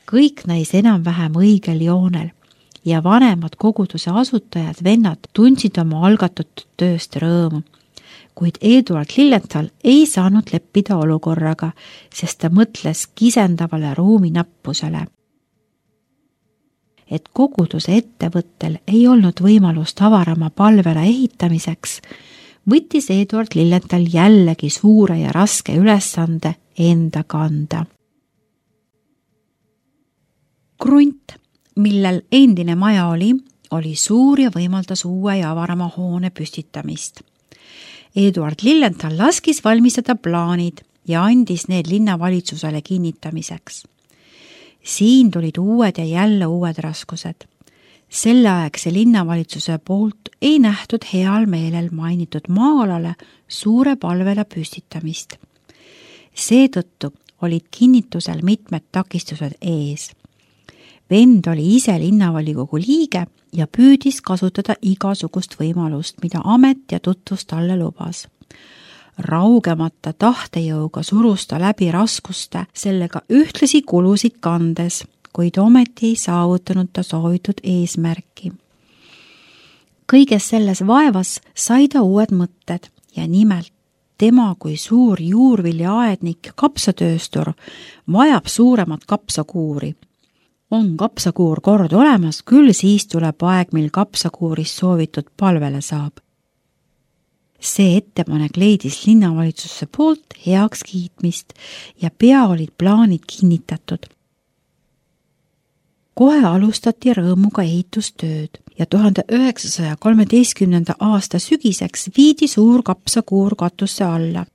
Kõik näis enam-vähem õigel joonel ja vanemad koguduse asutajad vennad tundsid oma algatatud tööst rõõmu. Kuid Eduard Lilienthal ei saanud leppida olukorraga, sest ta mõtles kisendavale ruumi nappusele. Et koguduse ettevõttel ei olnud võimalust avarama palvela ehitamiseks, võttis Eduard Lilienthal jällegi suure ja raske ülesande enda kanda. Krunt, millel endine maja oli suur ja võimaldas uue ja avarama hoone püstitamist. Eduard Lilienthal laskis valmistada plaanid ja andis need linnavalitsusele kinnitamiseks. Siin tulid uued ja jälle uued raskused. Selleaegse linnavalitsuse poolt ei nähtud heal meelel mainitud maa-alale suure palvela püstitamist. Seetõttu olid kinnitusel mitmed takistused ees. Vend oli ise linnavolikogu liige ja püüdis kasutada igasugust võimalust, mida amet ja tutvus talle lubas. Raugemata tahtejõuga surus ta läbi raskuste, sellega ühtlasi kulusid kandes, kuid ometi ei saavutanud ta soovitud eesmärki. Kõiges selles vaevas sai ta uued mõtted ja nimelt tema kui suur juurviljaaednik ja kapsatööstur vajab suuremat kapsakuuri. On kapsakuur kord olemas, küll siis tuleb aeg, mil kapsakuurist soovitud palvele saab. See ettepanek leidis linnavalitsusse poolt heaks kiitmist ja pea olid plaanid kinnitatud. Kohe alustati rõõmuga ehitustööd ja 1913. aasta sügiseks viidi suur kapsakuur katusse alla.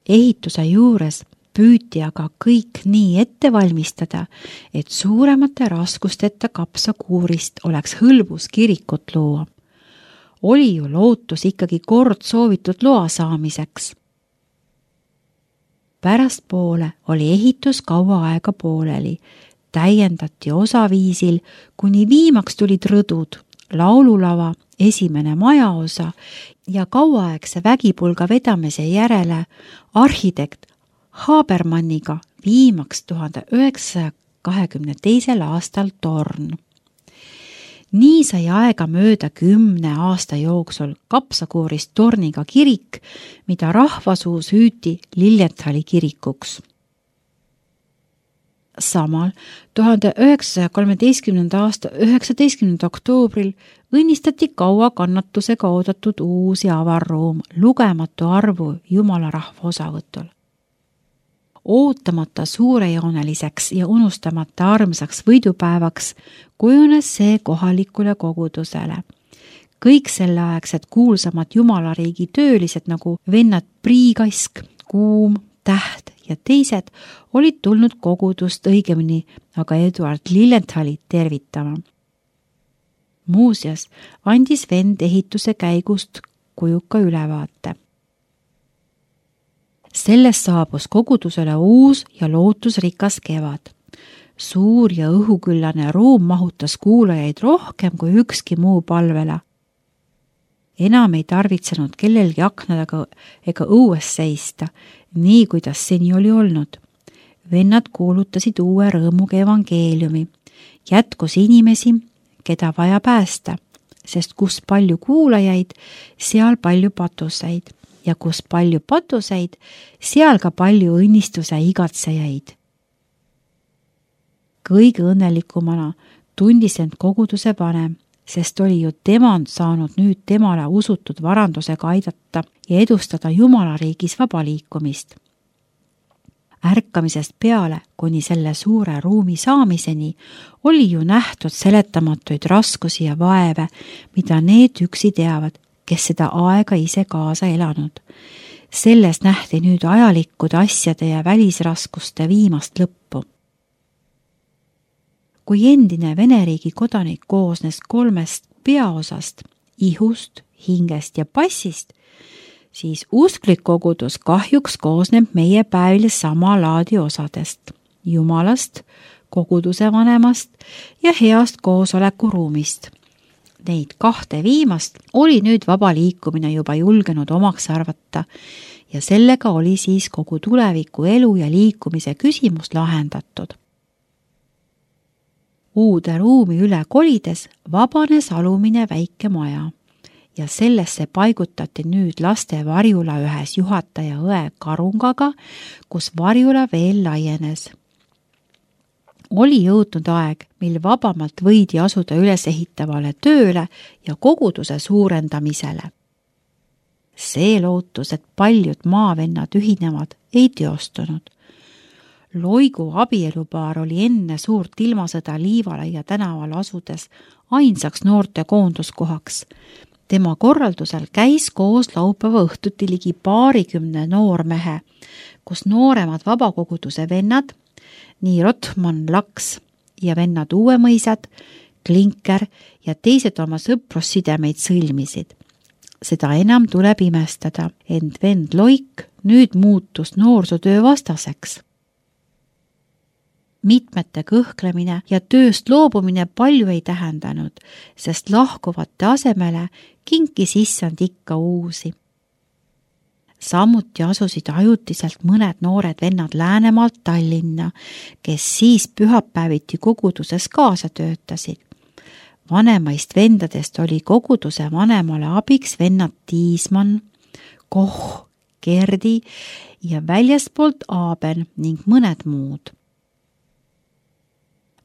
Ehituse juures püüti aga kõik nii ette valmistada, et suuremate raskusteta kapsakuurist oleks hõlbus kirikut luua. Oli ju lootus ikkagi kord soovitud loa saamiseks. Pärastpoole oli ehitus kaua aega pooleli, täiendati osaviisil, kuni viimaks tulid rõdud, laululava, esimene majaosa ja kauaaegse vägipulga vedamise järele arhitekt Habermanniga viimaks 1922. aastal torn. Nii sai aega mööda 10 aasta jooksul kapsakuurist torniga kirik, mida rahvasuus hüüti Lilienthali kirikuks. Samal 1913. aasta 19. oktoobril õnnistati kaua kannatusega oodatud uus ja avarruum lugematu arvu Jumala rahva osavõtul. Ootamata suurejooneliseks ja unustamata armsaks võidupäevaks kujunes see kohalikule kogudusele. Kõik selleaegsed kuulsamad jumalariigi töölised nagu vennad Priikask, Kuum, Täht ja teised olid tulnud kogudust õigemini aga Eduard Lilienthali tervitama. Muuseas andis vend ehituse käigust kujuka ülevaate. Sellest saabus kogudusele uus ja lootusrikas kevad. Suur ja õhuküllane ruum mahutas kuulajaid rohkem kui ükski muu palvela. Enam ei tarvitsenud kellelgi aknadega ega õues seista, nii kuidas seni oli olnud. Vennad kuulutasid uue rõõmuga evangeeliumi. Jätkus inimesi, keda vaja päästa, sest kus palju kuulajaid, seal palju patuseid. Ja kus palju patuseid, seal ka palju õnnistuse igatsejaid. Kõige õnnelikumana tundis end koguduse vanem, sest oli ju temand saanud nüüd temale usutud varandusega aidata ja edustada Jumalariigis vaba liikumist. Ärkamisest peale, kuni selle suure ruumi saamiseni, oli ju nähtud seletamatuid raskusi ja vaeve, mida need üksi teavad, kes seda aega ise kaasa elanud. Selles nähti nüüd ajalikkude asjade ja välisraskuste viimast lõppu. Kui endine Veneriigi kodanik koosnes 3 peaosast, ihust, hingest ja passist, siis usklik kogudus kahjuks koosneb meie päevil sama laadi osadest, Jumalast, koguduse vanemast ja heast koosolekuruumist. Neid 2 viimast oli nüüd vaba liikumine juba julgenud omaks arvata ja sellega oli siis kogu tuleviku elu ja liikumise küsimus lahendatud. Uude ruumi üle kolides vabanes alumine väike maja ja sellesse paigutati nüüd laste varjula ühes juhataja õe Karungaga, kus varjula veel laienes. Oli jõudnud aeg, mil vabamalt võidi asuda ülesehitavale tööle ja koguduse suurendamisele. See lootus, et paljud maavennad ühinevad, ei teostunud. Loigu abielupaar oli enne suurt ilmasõda Liivalaia tänaval asudes ainsaks noorte koonduskohaks. Tema korraldusel käis koos laupäeva õhtuti ligi 20 noormehe, kus nooremad vabakoguduse vennad, nii Rotman Laks ja vennad Uuemõisad, Klinker ja teised oma sõprussidemeid sõlmisid. Seda enam tuleb imestada, ent vend Loik nüüd muutus noorsootöö vastaseks. Mitmete kõhklemine ja tööst loobumine palju ei tähendanud, sest lahkuvate asemele kinkis issand ikka uusi. Samuti asusid ajutiselt mõned noored vennad Läänemaalt Tallinna, kes siis pühapäeviti koguduses kaasa töötasid. Vanemaist vendadest oli koguduse vanemale abiks vennad Tiismann, Koh, Gerdi ja väljastpoolt Aaben ning mõned muud.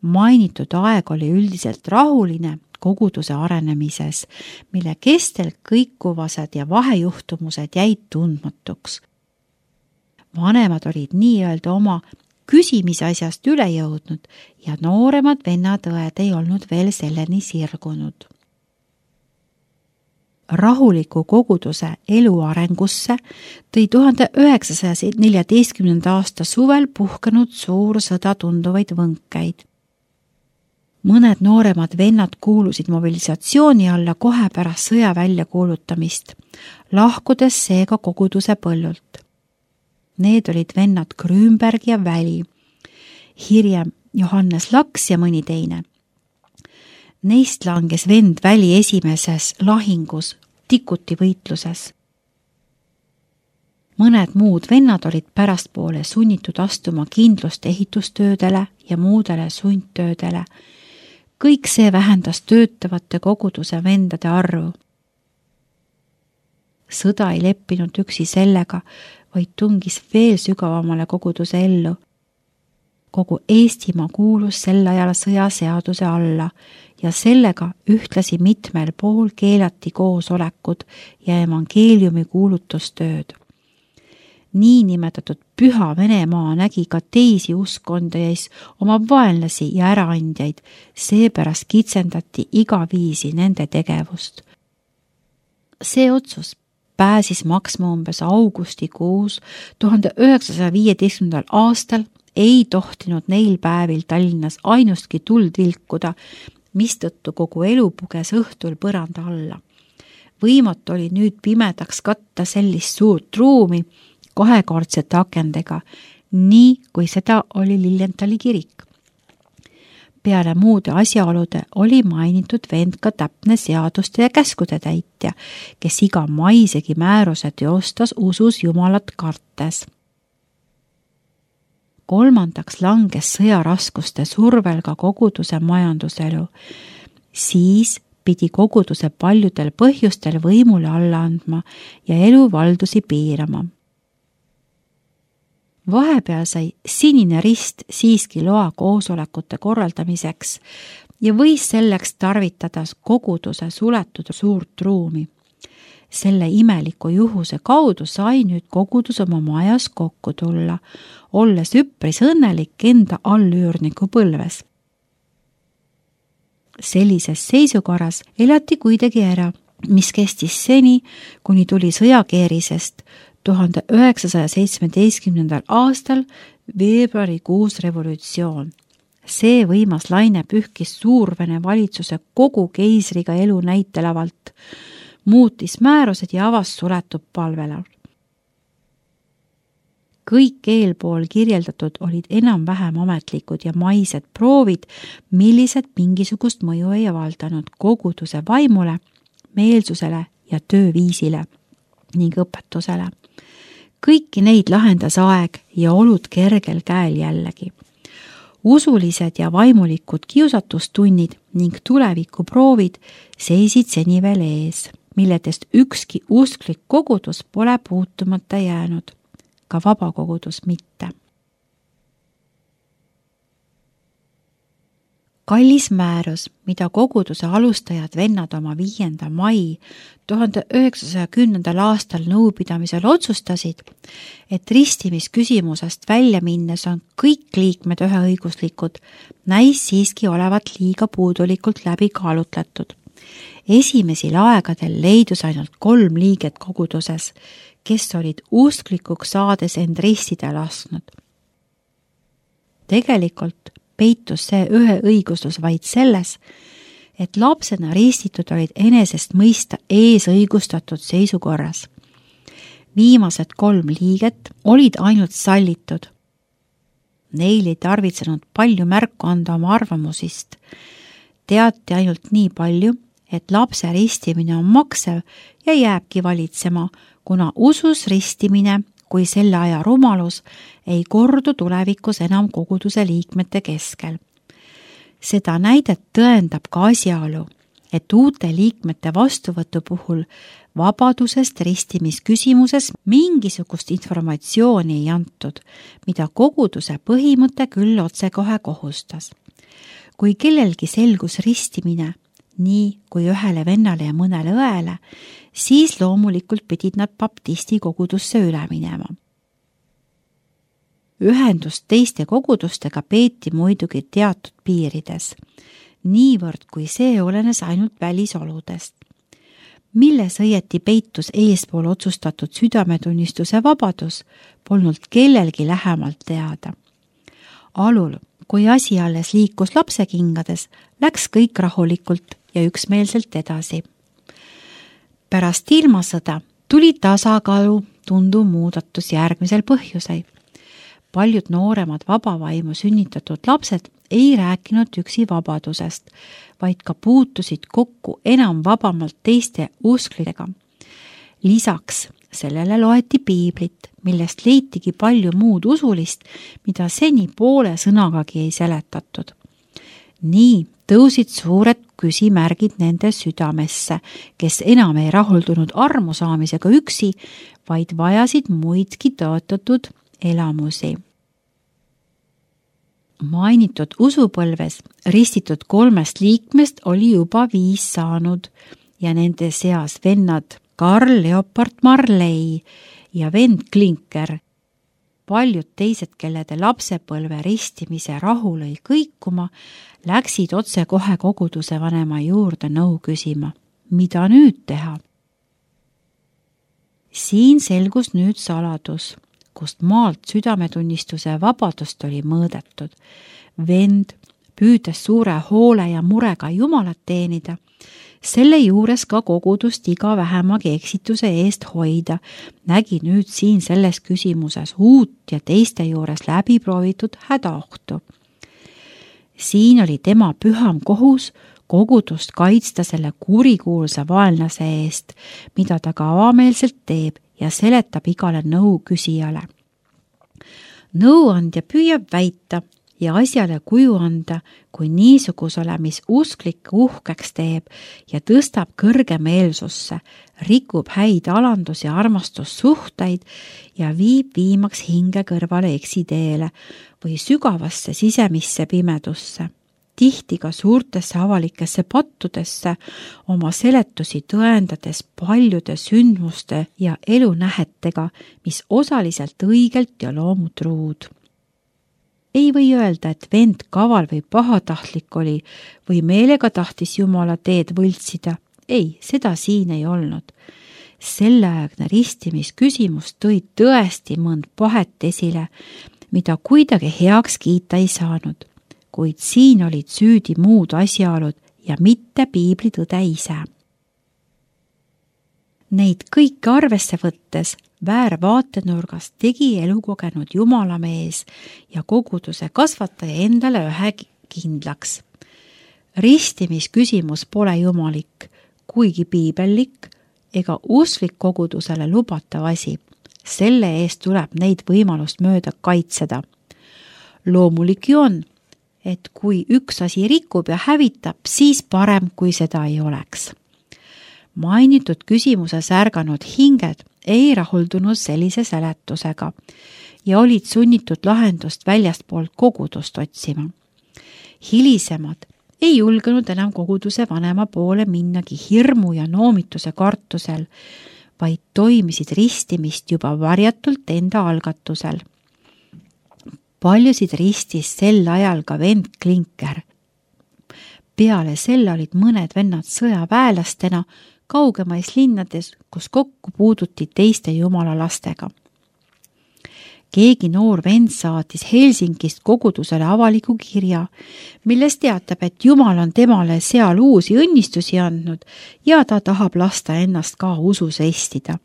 Mainitud aeg oli üldiselt rahuline koguduse arenemises, mille kestel kõikuvased ja vahejuhtumused jäid tundmatuks. Vanemad olid nii-öelda oma küsimisasjast üle jõudnud ja nooremad vennad-õed ei olnud veel selleni sirgunud. Rahuliku koguduse elu arengusse tõi 1914. aasta suvel puhkenud suur sõda tunduvaid võnkeid. Mõned nooremad vennad kuulusid mobilisatsiooni alla kohe pärast sõja väljakuulutamist, lahkudes seega koguduse põllult. Need olid vennad Grünberg ja Väli, hiljem Johannes Laks ja mõni teine. Neist langes vend Väli esimeses lahingus, Tikuti võitluses. Mõned muud vennad olid pärastpoole sunnitud astuma kindlust ehitustöödele ja muudele sundtöödele. Kõik see vähendas töötavate koguduse vendade arvu. Sõda ei leppinud üksi sellega, vaid tungis veel sügavamale koguduse ellu. Kogu Eestimaa kuulus sel ajal sõjaseaduse alla ja sellega ühtlasi mitmel pool keelati koosolekud ja evangeeliumi kuulutustööd. Niinimetatud Püha Venemaa nägi ka teisi uskondajais oma vaenlasi ja äraandjaid, seepärast kitsendati iga viisi nende tegevust. See otsus pääsis maksma umbes augustikuus 1915. aastal ei tohtinud neil päevil Tallinnas ainustki tuld vilkuda, mistõttu kogu elu puges õhtul põranda alla. Võimatu oli nüüd pimedaks katta sellist suurt ruumi, kahekordsete akendega, nii kui seda oli Lilienthali kirik. Peale muude asjaolude oli mainitud vend ka täpne seaduste ja käskude täitja, kes iga maisegi määruse teostas usus Jumalat kartes. Kolmandaks langes sõjaraskuste survel ka koguduse majanduselu. Siis pidi koguduse paljudel põhjustel võimule alla andma ja eluvaldusi piirama. Vahepeal sai Sinine Rist siiski loa koosolekute korraldamiseks ja võis selleks tarvitada koguduse suletud suurt ruumi. Selle imeliku juhuse kaudu sai nüüd kogudus oma majas kokku tulla, olles üpris õnnelik enda allüürniku põlves. Sellises seisukorras elati kuidagi ära, mis kestis seni, kuni tuli sõjakeerisest 1917. aastal veebruarikuus revolutsioon. See võimas laine pühkis Suurvene valitsuse kogu keisriga elu näitelavalt, muutis määrused ja avas suletud palvele. Kõik eelpool kirjeldatud olid enam-vähem ametlikud ja maised proovid, millised mingisugust mõju ei avaldanud koguduse vaimule, meelsusele ja tööviisile ning õpetusele. Kõiki neid lahendas aeg ja olud kergel käel jällegi. usulised ja vaimulikud kiusatustunnid ning tulevikuproovid seisid seni veel ees, milledest ükski usklik kogudus pole puutumata jäänud, ka vabakogudus mitte. Kallis määrus, mida koguduse alustajad vennad oma 5. mai 1910. aastal nõupidamisel otsustasid, et ristimisküsimusest välja minnes on kõik liikmed üheõiguslikud, näis siiski olevat liiga puudulikult läbi kaalutletud. Esimesel aegadel leidus ainult 3 liiget koguduses, kes olid usklikuks saades end ristida lasknud. Tegelikult peitus see üheõiguslus vaid selles, et lapsena ristitud olid enesest mõista eesõigustatud seisukorras. Viimased 3 liiget olid ainult sallitud. Neil ei tarvitsenud palju märku anda oma arvamusist. Teati ainult nii palju, et lapse ristimine on maksev ja jääbki valitsema, kuna usus ristimine kui selle aja rumalus ei kordu tulevikus enam koguduse liikmete keskel. Seda näidet tõendab ka asjaolu, et uute liikmete vastuvõtu puhul vabadusest ristimisküsimuses mingisugust informatsiooni ei antud, mida koguduse põhimõte küll otsekohe kohustas. Kui kellelgi selgus ristimine, nii kui ühele vennale ja mõnele õele, siis loomulikult pidid nad baptisti kogudusse üle minema. Ühendust teiste kogudustega peeti muidugi teatud piirides, niivõrd kui see olenes ainult välisoludest. Milles õieti peitus eespool otsustatud südametunnistuse vabadus, polnud kellelgi lähemalt teada. Alul, kui asi alles liikus lapsekingades, läks kõik rahulikult ja üksmeelselt edasi. Pärast ilmasõda tuli tasakaalu tunduv muudatus järgmisel põhjusel. Paljud nooremad vabavaimu sünnitatud lapsed ei rääkinud üksi vabadusest, vaid ka puutusid kokku enam vabamalt teiste usklidega. Lisaks sellele loeti piiblit, millest leitigi palju muud usulist, mida seni poole sõnagagi ei seletatud. Nii tõusid suured küsimärgid nende südamesse, kes enam ei rahuldunud armu saamisega üksi, vaid vajasid muidki tõotatud elamusi. Mainitud usupõlves ristitud 3 liikmest oli juba 5 saanud ja nende seas vennad Karl Leopard Marley ja vend Klinker. Paljud teised, kellede lapsepõlve ristimise rahu lõi kõikuma, läksid otse kohe koguduse vanema juurde nõu küsima, mida nüüd teha. Siin selgus nüüd saladus, kust maalt südametunnistuse vabadust oli mõõdetud. Vend, püüdes suure hoole ja murega Jumalat teenida, selle juures ka kogudust iga vähemagi eksituse eest hoida, nägi nüüd siin selles küsimuses uut ja teiste juures läbiproovitud hädaohtu. Siin oli tema püham kohus kogudust kaitsta selle kurikuulsa vaenlase eest, mida ta ka avameelselt teeb ja seletab igale nõu küsijale. Nõuandja püüab väita ja asjale kuju anda, kui niisugusele, mis usklik uhkeks teeb ja tõstab kõrgemeelsusse, rikub häid alandus- ja armastussuhteid ja viib viimaks hinge kõrvale eksiteele või sügavasse sisemisse pimedusse. Tihti ka suurtesse avalikesse pattudesse oma seletusi tõendades paljude sündmuste ja elunähetega, mis osaliselt õigelt ja loomutruud. Ei või öelda, et vend kaval või pahatahtlik oli või meelega tahtis Jumala teed võltsida. Ei, seda siin ei olnud. Selleaegne ristimisküsimus tõi tõesti mõnd pahet esile, mida kuidagi heaks kiita ei saanud. Kuid siin olid süüdi muud asjaolud ja mitte piiblitõde ise. Neid kõiki arvesse võttes väärvaatenurgas tegi elukogenud Jumalamees ja koguduse kasvataja endale ühe kindlaks. Ristimisküsimus pole jumalik, kuigi piibellik ega usklik kogudusele lubatav asi. Selle eest tuleb neid võimalust mööda kaitseda. Loomulik ju on, et kui üks asi rikub ja hävitab, siis parem, kui seda ei oleks. Mainitud küsimuses ärganud hinged ei rahuldunud sellise seletusega ja olid sunnitud lahendust väljastpoolt kogudust otsima. Hilisemad ei julgenud enam koguduse vanema poole minnagi hirmu ja noomituse kartusel, vaid toimisid ristimist juba varjatult enda algatusel. Paljusid ristis sel ajal ka vend Klinker. Peale selle olid mõned vennad sõjaväelastena kaugemais linnades, kus kokku puuduti teiste jumala lastega. Keegi noor vend saatis Helsingist kogudusele avaliku kirja, milles teatab, et Jumal on temale seal uusi õnnistusi andnud ja ta tahab lasta ennast ka usus estida.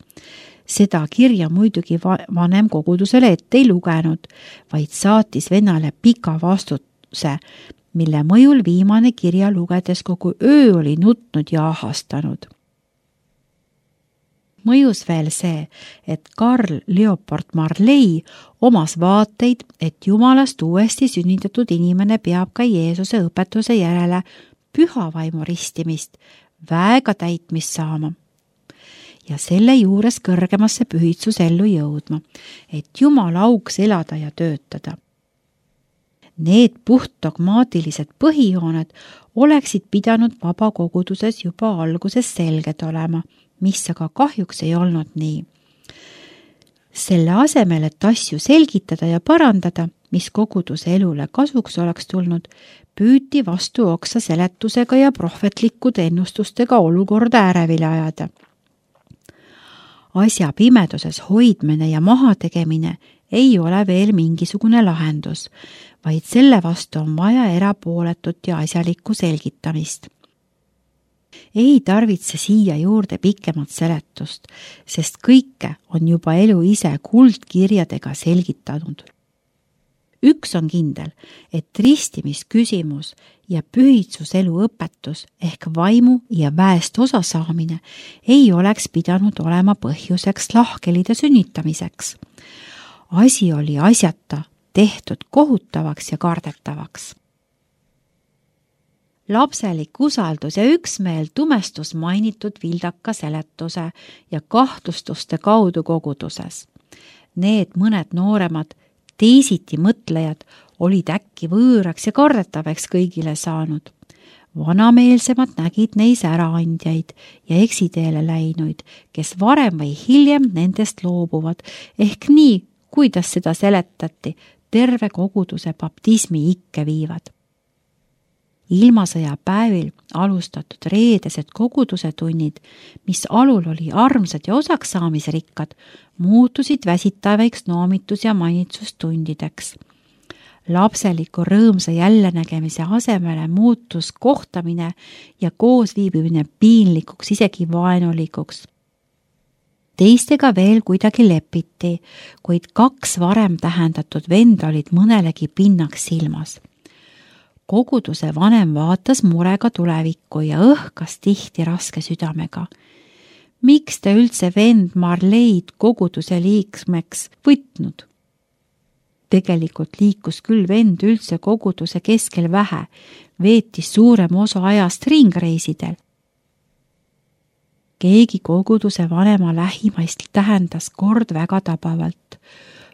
Seda kirja muidugi vanem kogudusele ette ei lugenud, vaid saatis vennale pika vastuse, mille mõjul viimane kirja lugedes kogu öö oli nutnud ja ahastanud. Mõjus veel see, et Karl Leopold Marley omas vaateid, et Jumalast uuesti sünnitatud inimene peab ka Jeesuse õpetuse järele pühavaimu ristimist, väega täitmist saama ja selle juures kõrgemasse pühitsusellu jõudma, et Jumal auks elada ja töötada. Need puhtdogmaatilised põhijooned oleksid pidanud vabakoguduses juba alguses selged olema, mis aga kahjuks ei olnud nii. Selle asemel, et asju selgitada ja parandada, mis koguduse elule kasuks oleks tulnud, püüti vastu oksa seletusega ja prohvetlikkude ennustustega olukorda ärevile ajada. Asja pimeduses hoidmine ja mahategemine ei ole veel mingisugune lahendus, vaid selle vastu on vaja erapooletut ja asjalikku selgitamist. Ei tarvitse siia juurde pikemat seletust, sest kõike on juba elu ise kuldkirjadega selgitanud. Üks on kindel, et ristimisküsimus ja pühitsuselu õpetus ehk vaimu ja väest osasaamine ei oleks pidanud olema põhjuseks lahkelide sünnitamiseks. Asi oli asjata tehtud kohutavaks ja kardetavaks. Lapselik usaldus ja üksmeel tumestus mainitud vildaka seletuse ja kahtlustuste kaudu koguduses. Need mõned nooremad teisiti mõtlejad olid äkki võõraks ja kardetavaks kõigile saanud. Vanameelsemad nägid neis äraandjaid ja eksiteele läinuid, kes varem või hiljem nendest loobuvad, ehk nii, kuidas seda seletati, terve koguduse baptismi ikke viivad. Ilmasõja päevil alustatud reedesed koguduse tunnid, mis alul oli armsad ja osaksaamisrikkad, muutusid väsitavaiks noomitus- ja manitsustundideks. Lapseliku rõõmsa jällenägemise asemele muutus kohtamine ja koosviibimine piinlikuks, isegi vaenulikuks. Teistega veel kuidagi lepiti, kuid 2 varem tähendatud venda olid mõnelegi pinnaks silmas. Koguduse vanem vaatas murega tulevikku ja õhkas tihti raske südamega. Miks te üldse vend Marleid koguduse liikmeks võtnud? Tegelikult liikus küll vend üldse koguduse keskel vähe, veetis suurem osa ajast ringreisidel. Keegi koguduse vanema lähimaist tähendas kord väga tabavalt.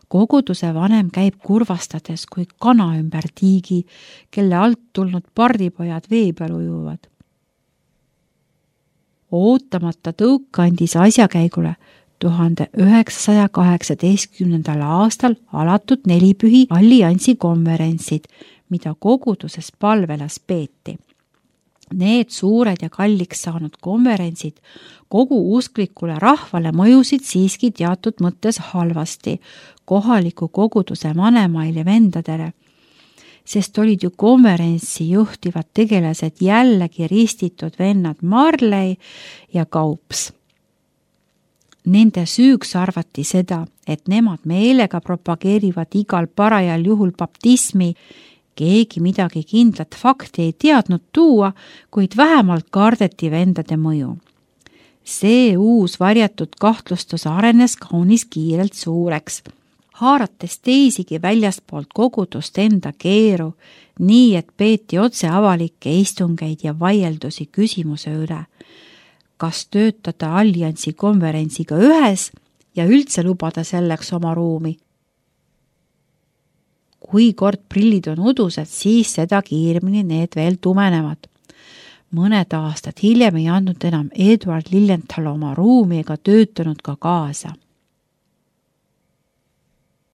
Koguduse vanem käib kurvastades kui kana ümber tiigi, kelle alt tulnud pardipojad vee peal ujuvad. Ootamata tõuk andis asjakäigule 1918. aastal alatud 4 alliansi konverentsid, mida koguduses palvelas peeti. Need suured ja kalliks saanud konverentsid kogu usklikule rahvale mõjusid siiski teatud mõttes halvasti kohaliku koguduse vanemail ja vendadele, sest olid ju konverentsi juhtivad tegelased jällegi ristitud vennad Marley ja Kaups. Nende süüks arvati seda, et nemad meelega propageerivad igal parajal juhul baptismi. Keegi midagi kindlat fakti ei teadnud tuua, kuid vähemalt kardeti vendade mõju. See uus varjatud kahtlustus arenes kaunis kiirelt suureks haarates teisigi väljastpoolt kogudust enda keeru, nii et peeti otse avalikke istungeid ja vaieldusi küsimuse üle, kas töötada alliansi konverentsiga ühes ja üldse lubada selleks oma ruumi. Kui kord prillid on udused, siis seda kiiremini need veel tumenevad. Mõned aastad hiljem ei andnud enam Eduard Lilienthal oma ruumi ega töötanud ka kaasa.